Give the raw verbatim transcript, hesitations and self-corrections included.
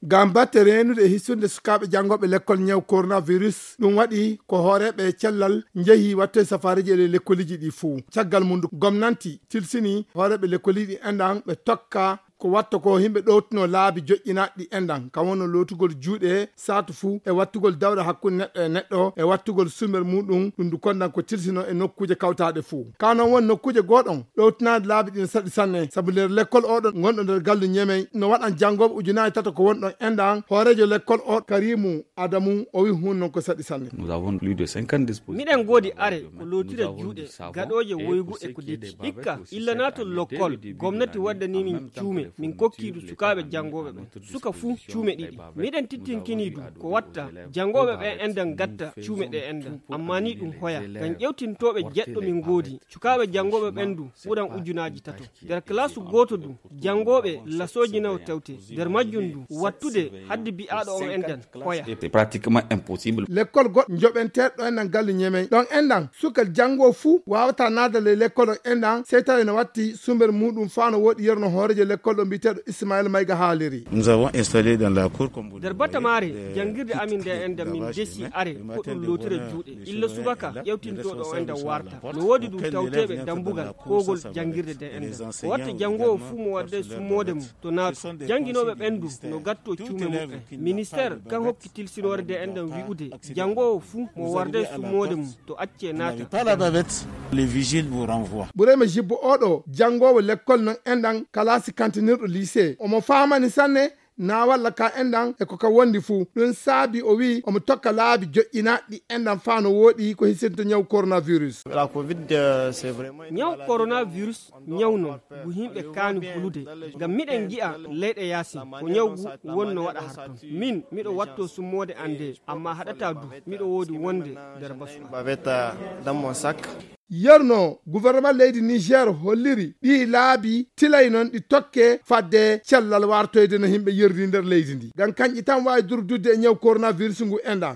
Ngam batte reenude e hissude sukaaɓe janngooɓe lekkol ñaw coronavirus, ɗum waɗi ko hooreeɓe cellal njehi wattoye safaareeji e ley lekkoliiji ɗi fuu. Caggal mum, gomnanti tilsini hooreeɓe lekkoliiji ɗi enɗan ɓe tokka ko watta ko yimɓe ɗowtuno laabi joƴƴinaaɗi ɗi enɗan, kam wonno lootugol juuɗe saatu fuu, e wattugol dawɗe hakkunde neɗɗo e neɗɗo, e wattugol sumel muɗum, ɗum ndu kondan ko tilsino e nokkuuje kawtaaɗe fuu. Ka noon woni nokkuuje gooɗon ɗowtinaade laabi ɗin saɗi sanne, sabu nder lekkol oɗon ngonɗo nder gallu Ñemey no waɗan janngooɓe ujunaaji tato ko wonɗon enɗan. Hooreejo lekkol o, Karimu Adamu, o wi'i huun noon ko saɗi sanne. Nous avons plus de cinquante dispositifs. Miɗen ngoodi are ko lootira juuɗe, gaɗooje woygu e ko detti. Hikka, illa naatol lokkol, gomnati waddanii min cuume, min kokkii ɗum sukaaɓe janngooɓe ɓen. Suka fuu cuume ɗiɗi. Miɗen tittinkini du ko watta janngooɓe ɓen enɗan gatta cuume ɗe enɗan. Amma ni ɗum hoya. Ngam ƴewtintooɓe jeɗɗo min ngoodi, sukaaɓe janngooɓe ɓen du ɓuran ujunaaji tato. Nder kalaasu gooto du, janngooɓe lasooji nayo tawte. Nder majjum du, wattude haddi bi'aaɗo on enɗan hoya. C'est pratiquement impossible. Lekkol goɗɗo njoɓenteeɗo ɗo enɗan gallu Ñemey. Ɗon enɗan, sukal janngoo fuu waawata naada ley lekkol on enɗan, sey tawi no watti sumel muɗum faa no wooɗi yeru no hooreejo lekkol ɗo mbi'eteeɗo Ismail Mayga haaliri. Nous avons installé dans la cour, comme vous le voyez, des petites cages humaines, des machines. Nder bata maare, janngirde amin nde enɗan min desi are ko ɗum lootira juuɗe. Illa subaka ƴewtintooɗo o enɗan warta. No woodi du tawteeɓe dambugal koogol janngirde nde enɗan. Ko watta janngoowo fuu mo warde summoode mum to naatu. Jannginooɓe ɓen du no gattoo cuume muɓɓen. Ministeer kan hokki tilsinoore nde enɗan wi'ude janngoowo fuu mo warde summoode mum to accee naata. Pas la bavette, les vigiles vous renvoient. Burema Jibbo oɗo janngoowo lekkol non enɗan kalaasi kantinirɗo lycée. Omo faamani sanne na walla ka enɗan e ko ka wondi fuu. Ɗum saabi o wi'i omo tokka laabi joƴƴinaaɗi enɗan faa no wooɗi ko hisinta ñaw coronavirus. La covid, euh, c'est vraiment une maladie. Ñaw coronavirus ñaw non ngu yimɓe kaani hulude. Ngam miɗen ngi'a leyɗe yaasi ko ñaw ngu wonno waɗa har ton. Min miɗo watto summoode an nde, amma haɗataa du miɗo woodi wonde nder basu an. Bavette, euh, dans mon sac. Yerno gouvernement leydi Niger holliri ɗii laabi tilay non ɗi tokke fadde cellal wartoyde no yimɓe yerdi nder leydi ndi. Ngam kanƴi tan waawi durdudde e ñaw coronavirus ngu enɗan.